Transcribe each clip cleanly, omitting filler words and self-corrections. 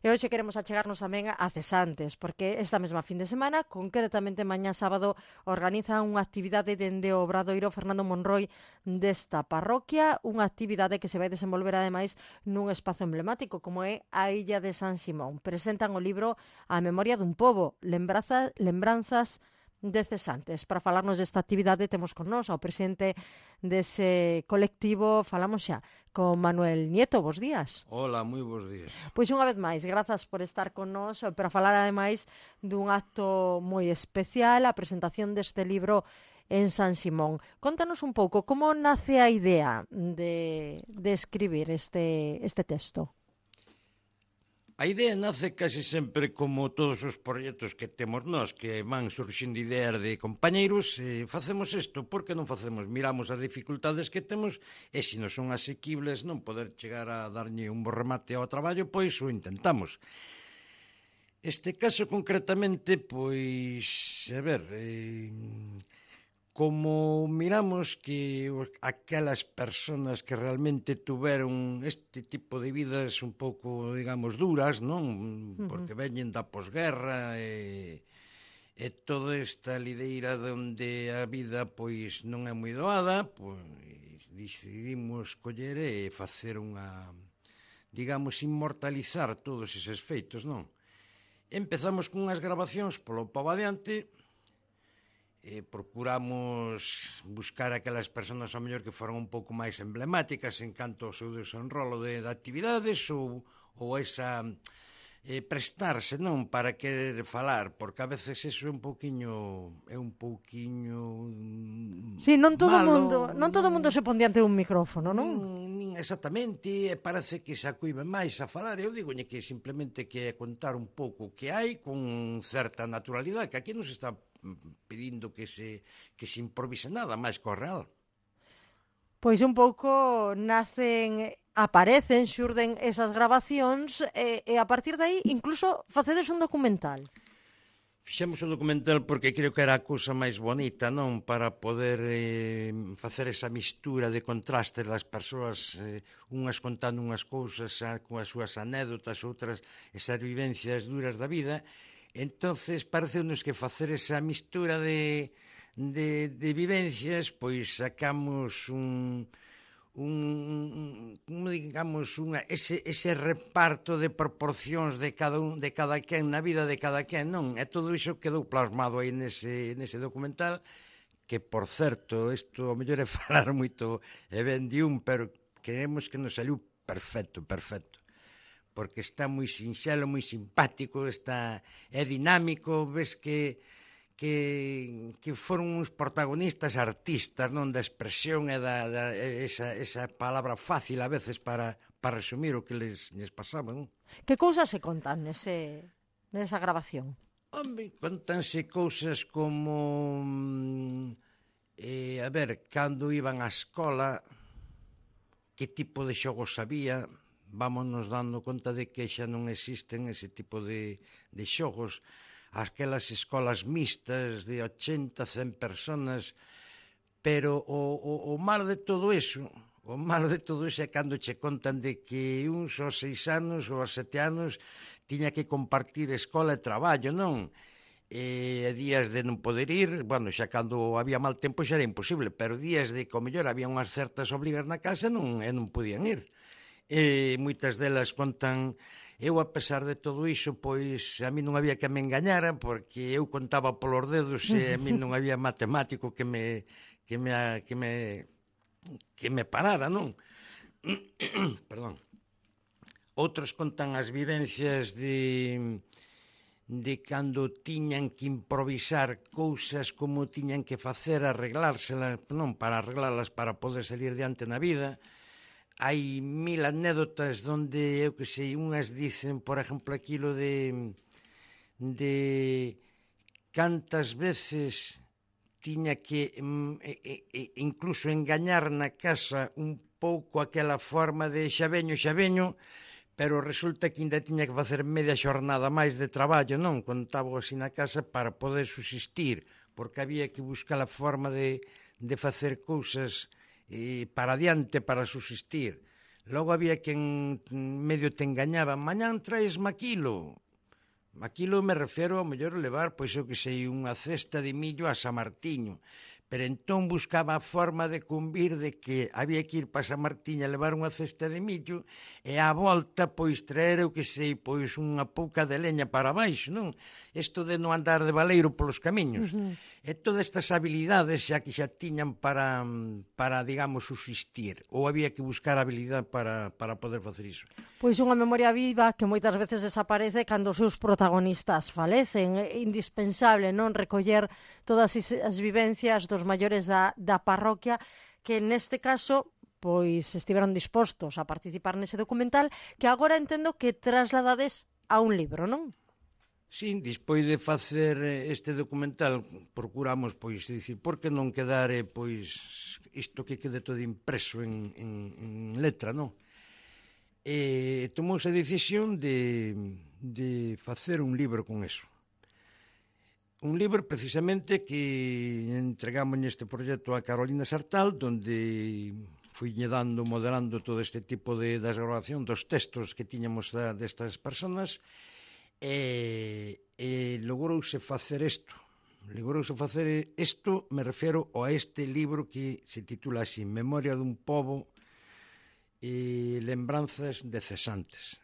E hoxe queremos achegarnos tamén a cesantes, porque esta mesma fin de semana, concretamente mañá sábado, organizan unha actividade dende o Obradoiro Fernando Monroi desta parroquia, unha actividade que se vai desenvolver ademais nun espazo emblemático como é a Illa de San Simón. Presentan o libro A memoria dun pobo, lembranzas de cesantes. Para falarnos desta actividade temos con nós ao presidente dese colectivo, falamos xa con Manuel Nieto. Bos días. Hola, moi bons días. Pois unha vez máis, grazas por estar con nós para falar ademais dun acto moi especial, a presentación deste libro en San Simón. Contanos un pouco como nace a idea de escribir este texto. A idea nace case sempre como todos os proxectos que temos nós, que van surxindo ideas de compañeiros, facemos isto, por que non facemos? Miramos as dificultades que temos e se non son asequibles non poder chegar a darlle un bo remate ao traballo, pois o intentamos. Este caso concretamente, pois, a ver, como miramos que aquelas persoas que realmente tuveron este tipo de vidas un pouco, digamos, duras, non? Porque veñen da posguerra e toda esta lideira onde a vida pois non é moi doada, pois decidimos coller e facer unha, digamos, inmortalizar todos eses feitos, non? Empezamos con unhas grabacións polo pavo adiante. Procuramos buscar aquelas persoas ao mellor que foron un pouco máis emblemáticas en canto ao seu desenrolo de actividades ou esa prestarse, non, para querer falar, porque a veces eso é un pouquiño Sí, non todo malo, mundo se pon diante dun micrófono, non? Nin exactamente, parece que se acuive máis a falar. Eu digoñe que simplemente que é contar un pouco o que hai con certa naturalidade, que aquí non se está pedindo que se improvise nada máis co real. Pois un pouco aparecen, xurden esas grabacións e a partir de aí incluso facedes un documental. Fixemos un documental porque creo que era a cousa máis bonita, non? Para poder facer esa mistura de contrastes das persoas, unhas contando unhas cousas con as súas anécdotas, outras esas vivencias duras da vida. Entonces parece-nos que facer esa mistura de vivencias, pois sacamos ese reparto de proporcións de cada quen na vida de cada quen, non? E todo iso quedou plasmado aí nese documental, que, por certo, isto ao mellor é falar moito e ben de pero queremos que nos saliu perfecto, porque está moi sinxelo, moi simpático, é dinámico, ves que foron uns protagonistas artistas, non, da expresión e esa palabra fácil a veces para resumir o que les pasaba, non? Que cousas se contan nesa grabación? Home, contanse cousas como a ver, cando iban á escola, que tipo de xogos había. Vámonos dando conta de que xa non existen ese tipo de xogos. Aquelas escolas mixtas de 80, 100 personas, pero o malo de todo iso é cando che contan de que uns aos 6 anos ou aos 7 anos tiña que compartir escola e traballo, non? E días de non poder ir, bueno, xa cando había mal tempo xa era imposible, pero días de que ao mellor había unhas certas obrigas na casa non podían ir. E moitas delas contan, eu a pesar de todo iso, pois a mí non había que me engañara, porque eu contaba polos dedos e a mí non había matemático que me parara, non? Perdón. Outros contan as vivencias de cando tiñan que improvisar cousas, como tiñan que facer, arreglárselas, non, para arreglarlas para poder salir diante na vida. Hai 1000 anécdotas onde, eu que sei, unhas dicen, por exemplo, aquilo de cantas veces tiña que incluso engañar na casa un pouco aquela forma de xa veño, pero resulta que ainda tiña que facer media xornada máis de traballo, non? Contaba así na casa para poder subsistir, porque había que buscar a forma de facer cousas para adiante, para subsistir. Logo había quen medio te engañaba, mañán traes maquilo. Maquilo me refiero ao mellor levar, pois eu que sei, unha cesta de millo a San Martiño. Pero entón buscaba a forma de cumbir de que había que ir para San Martiño a levar unha cesta de millo e á volta, pois, traer, eu que sei, pois, unha pouca de leña para baixo, non? Isto de non andar de baleiro polos camiños. E todas estas habilidades xa que xa tiñan para digamos, subsistir. Ou había que buscar habilidade para poder facer iso. Pois unha memoria viva que moitas veces desaparece cando os seus protagonistas falecen. É indispensable non recoller todas as vivencias dos maiores da parroquia que neste caso pois estiveron dispostos a participar nese documental que agora entendo que trasladades a un libro, non? Sí, despois de facer este documental procuramos, pois, dicir, por que non quedar, pois, isto que quede todo impreso en letra, non? E tomouse a decisión de facer un libro con eso. Un libro precisamente que entregamos neste proxecto a Carolina Sartal, donde fuiñe dando, modelando todo este tipo de grabación dos textos que tiñamos destas personas e logrouse facer isto. Me refiero a este libro que se titula así, Memoria dun pobo e lembranzas de cesantes,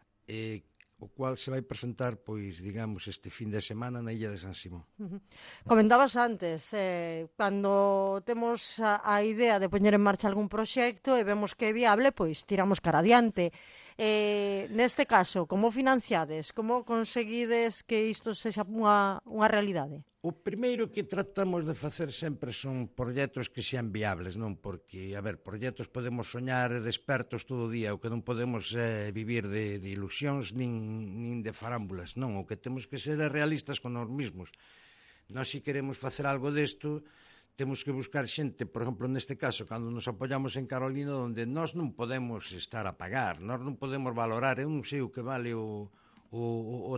o cual se vai presentar, pois, digamos, este fin de semana na illa de San Simón. Comentabas antes, cando temos a idea de poñer en marcha algún proxecto e vemos que é viable, pois tiramos cara adiante. Neste caso, como financiades? Como conseguides que isto sexa unha realidade? O primeiro que tratamos de facer sempre son proxectos que sean viables, non? Porque, a ver, proxectos podemos soñar despertos todo o día, o que non podemos vivir de ilusións nin de farámbulas, non? O que temos que ser realistas con nós mesmos. Nós, se queremos facer algo desto, temos que buscar xente, por exemplo, neste caso, cando nos apoyamos en Carolina, onde nós non podemos estar a pagar, nós non podemos valorar, eu non sei o que vale o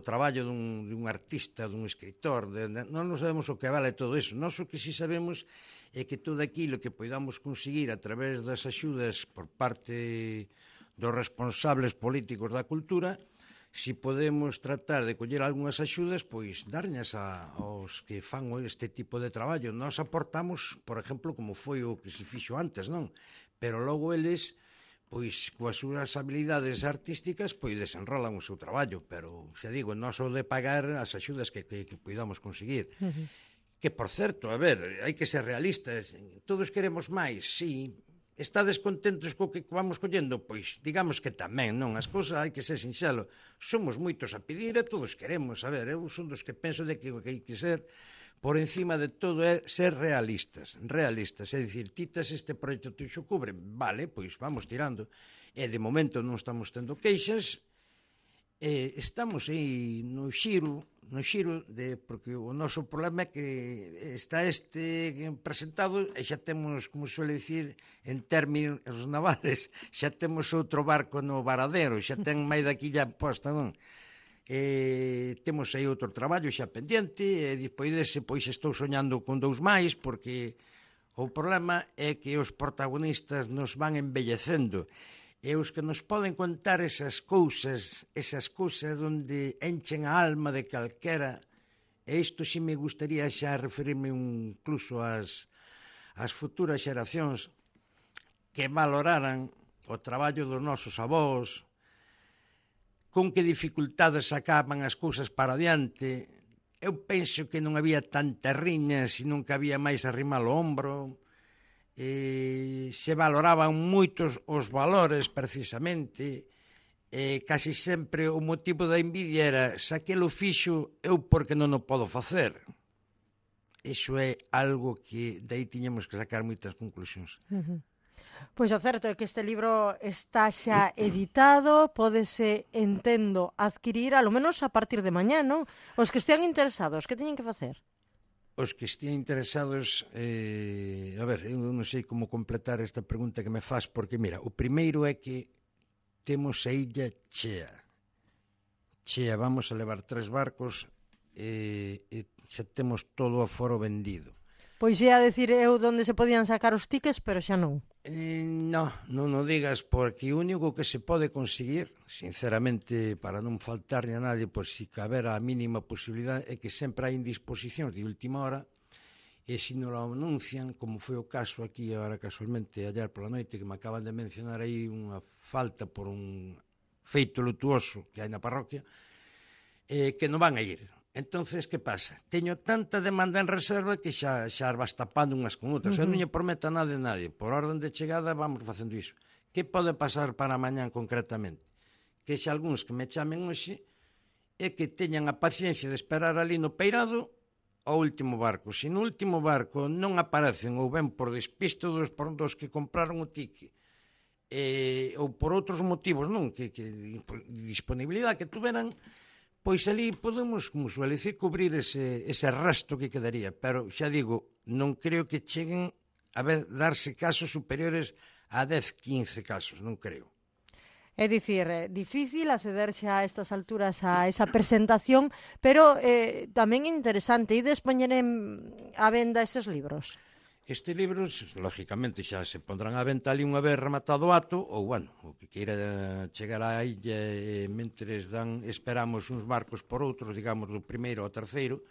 traballo dun artista, dun escritor, non sabemos o que vale todo iso. Nós o que si sabemos é que todo aquilo que podamos conseguir a través das axudas por parte dos responsables políticos da cultura, si podemos tratar de coller algunhas axudas, pois darñas aos que fan este tipo de traballo. Nós aportamos, por exemplo, como foi o que se fixo antes, non? Pero logo eles, pois, coas súas habilidades artísticas, pois desenrolan o seu traballo, pero, xa digo, non só de pagar as axudas que podamos conseguir. Que, por certo, a ver, hai que ser realistas, todos queremos máis, sí. Estades contentos co que vamos collendo? Pois, digamos que tamén, non? As cousas hai que ser sinxelo. Somos moitos a pedir e todos queremos, a ver, eu son dos que penso de que o que hai que ser por encima de todo é ser realistas, é dicir, titas este proxecto tuxo cubre, vale, pois vamos tirando, e de momento non estamos tendo queixas, estamos aí no xiro, porque o noso problema é que está este presentado e xa temos, como suele dicir, en términos navales, xa temos outro barco no varadero, xa ten máis daqui ya posta, non? Temos aí outro traballo xa pendiente e despois dese pois estou soñando con 2 máis porque o problema é que os protagonistas nos van embellecendo e os que nos poden contar esas cousas onde enchen a alma de calquera, e isto si me gustaría xa referirme incluso ás futuras xeracións que valoraran o traballo dos nosos avós, con que dificultades sacaban as cousas para adiante. Eu penso que non había tanta riña, senón que había máis arrimar o ombro, se valoraban moitos os valores precisamente, casi sempre o motivo da envidia era se aquilo fixo eu porque non o podo facer. Iso é algo que de aí tiñamos que sacar moitas conclusións. Pois o certo é que este libro está xa editado, pódese, entendo, adquirir alo menos a partir de mañá, non? Os que estean interesados, que teñen que facer? Os que estean interesados, a ver, eu non sei como completar esta pregunta que me faz, porque, mira, o primeiro é que temos a illa chea. Chea, vamos a levar 3 barcos e xa temos todo o aforo vendido. Pois ia a decir eu onde se podían sacar os tickets, pero xa non. Non o digas, porque o único que se pode conseguir, sinceramente, para non faltarle a nadie, por si caber a mínima posibilidade, é que sempre hai indisposicións de última hora, e se non lo anuncian, como foi o caso aquí agora casualmente ayer pola noite, que me acaban de mencionar aí unha falta por un feito lutuoso que hai na parroquia, que non van a ir. Entonces, que pasa? Teño tanta demanda en reserva que xa vas tapando unhas con outras. Eu non lle prometo a nadie. Por orden de chegada vamos facendo iso. Que pode pasar para mañán concretamente? Que xa algúns que me chamen hoxe é que teñan a paciencia de esperar ali no peirado ao último barco. Se no último barco non aparecen ou ben por despisto dos que compraron o ticket ou por outros motivos, non, que disponibilidade que tuveran, pois ali podemos, como suele dicir, cubrir ese resto que quedaría. Pero, xa digo, non creo que cheguen a darse casos superiores a 10, 15 casos, non creo. É dicir, difícil accederse a estas alturas a esa presentación, pero tamén interesante. Ides poñer a venda eses libros? Estes libros, lógicamente, xa se pondrán á venta ali unha vez rematado o acto, ou, bueno, o que queira chegar á illa mentres esperamos uns barcos por outros, digamos, do primeiro ao terceiro,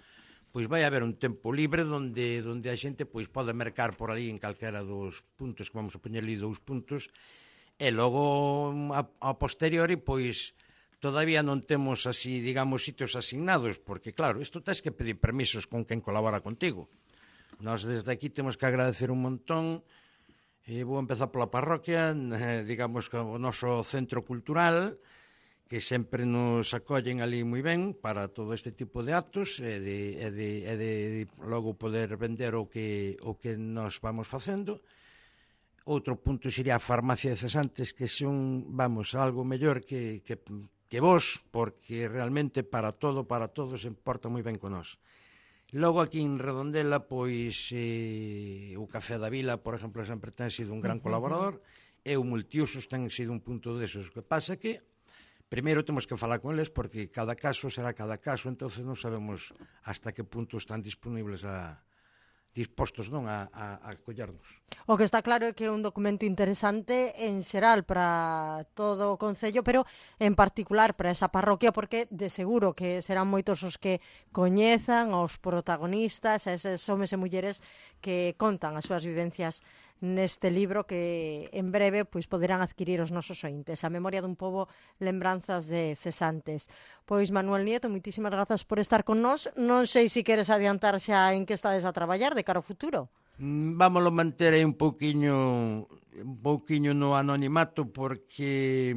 pois vai haber un tempo libre onde a xente pois pode mercar por ali en calquera dos puntos, que vamos a poñer ali 2 puntos, e logo, a posteriori, pois, todavía non temos así, digamos, sitios asignados, porque, claro, isto tens que pedir permisos con quen colabora contigo. Nós desde aquí temos que agradecer un montón, vou empezar pola parroquia, digamos que o noso centro cultural, que sempre nos acollen ali moi ben para todo este tipo de actos e de logo poder vender o que nos vamos facendo. Outro punto sería a farmacia de cesantes, que son, vamos, algo mellor que vos, porque realmente para todo se importa moi ben con nós. Logo aquí en Redondela, pois o Café da Vila, por exemplo, sempre ten sido un gran colaborador, e o Multiusos ten sido un punto desos. O que pasa que primeiro temos que falar con eles, porque cada caso será cada caso, entonces non sabemos hasta que punto están dispostos a collernos. O que está claro é que é un documento interesante en xeral para todo o Concello, pero en particular para esa parroquia, porque de seguro que serán moitos os que coñezan aos protagonistas, a eses homes e mulleres que contan as súas vivencias neste libro que en breve pois poderán adquirir os nosos ointes. A memoria dun pobo, lembranzas de cesantes. Pois Manuel Nieto, moitísimas grazas por estar con nós. Non sei se queres adiantar xa en que estades a traballar de cara ao futuro. Vámoslo manter aí un pouquiño no anonimato, porque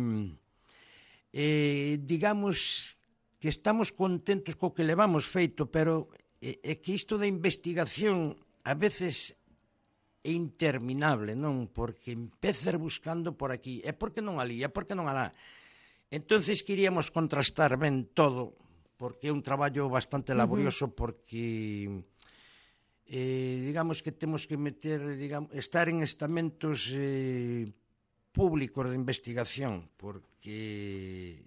digamos que estamos contentos co que levamos feito, pero é que isto da investigación a veces é interminable, non? Porque empezar buscando por aquí, e por que non ali, e por que non alá. Entonces queríamos contrastar ben todo, porque é un traballo bastante laborioso, porque digamos que temos que estar en estamentos públicos de investigación, porque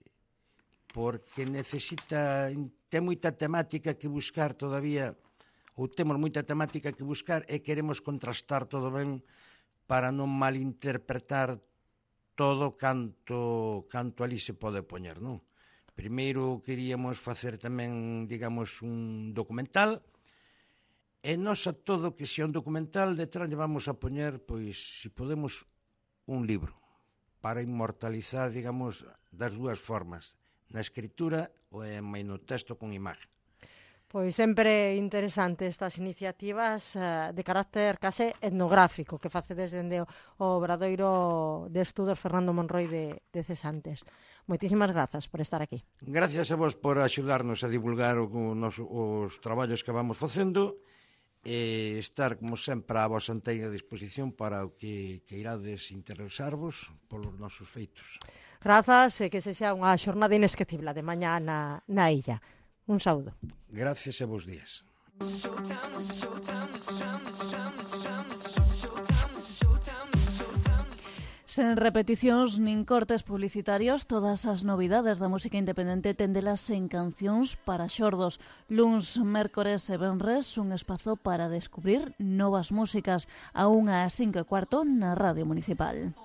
ten moita temática que buscar todavía, ou temos moita temática que buscar e queremos contrastar todo ben para non malinterpretar todo canto ali se pode poñer, non? Primeiro queríamos facer tamén, digamos, un documental, e nós a todo que sea un documental detrás lle vamos a poñer, pois, se podemos, un libro para inmortalizar, digamos, das dúas formas, na escritura ou no texto con imagen. Pois sempre interesante estas iniciativas de carácter case etnográfico que facedes dende o Obradoiro de Estudos Fernando Monroi de Cesantes. Moitísimas grazas por estar aquí. Gracias a vos por axudarnos a divulgar os traballos que vamos facendo e estar, como sempre, a vosa inteira disposición para o que irades interesarvos polos nosos feitos. Grazas e que sexa unha xornada inesquecible de mañá na illa. Un saúdo. Gracias e bons días. Sen repeticións nin cortes publicitarios, todas as novidades da música independente téndelas en Cancións para xordos. Luns, mércores e venres, un espazo para descubrir novas músicas a 1:05 na Radio Municipal.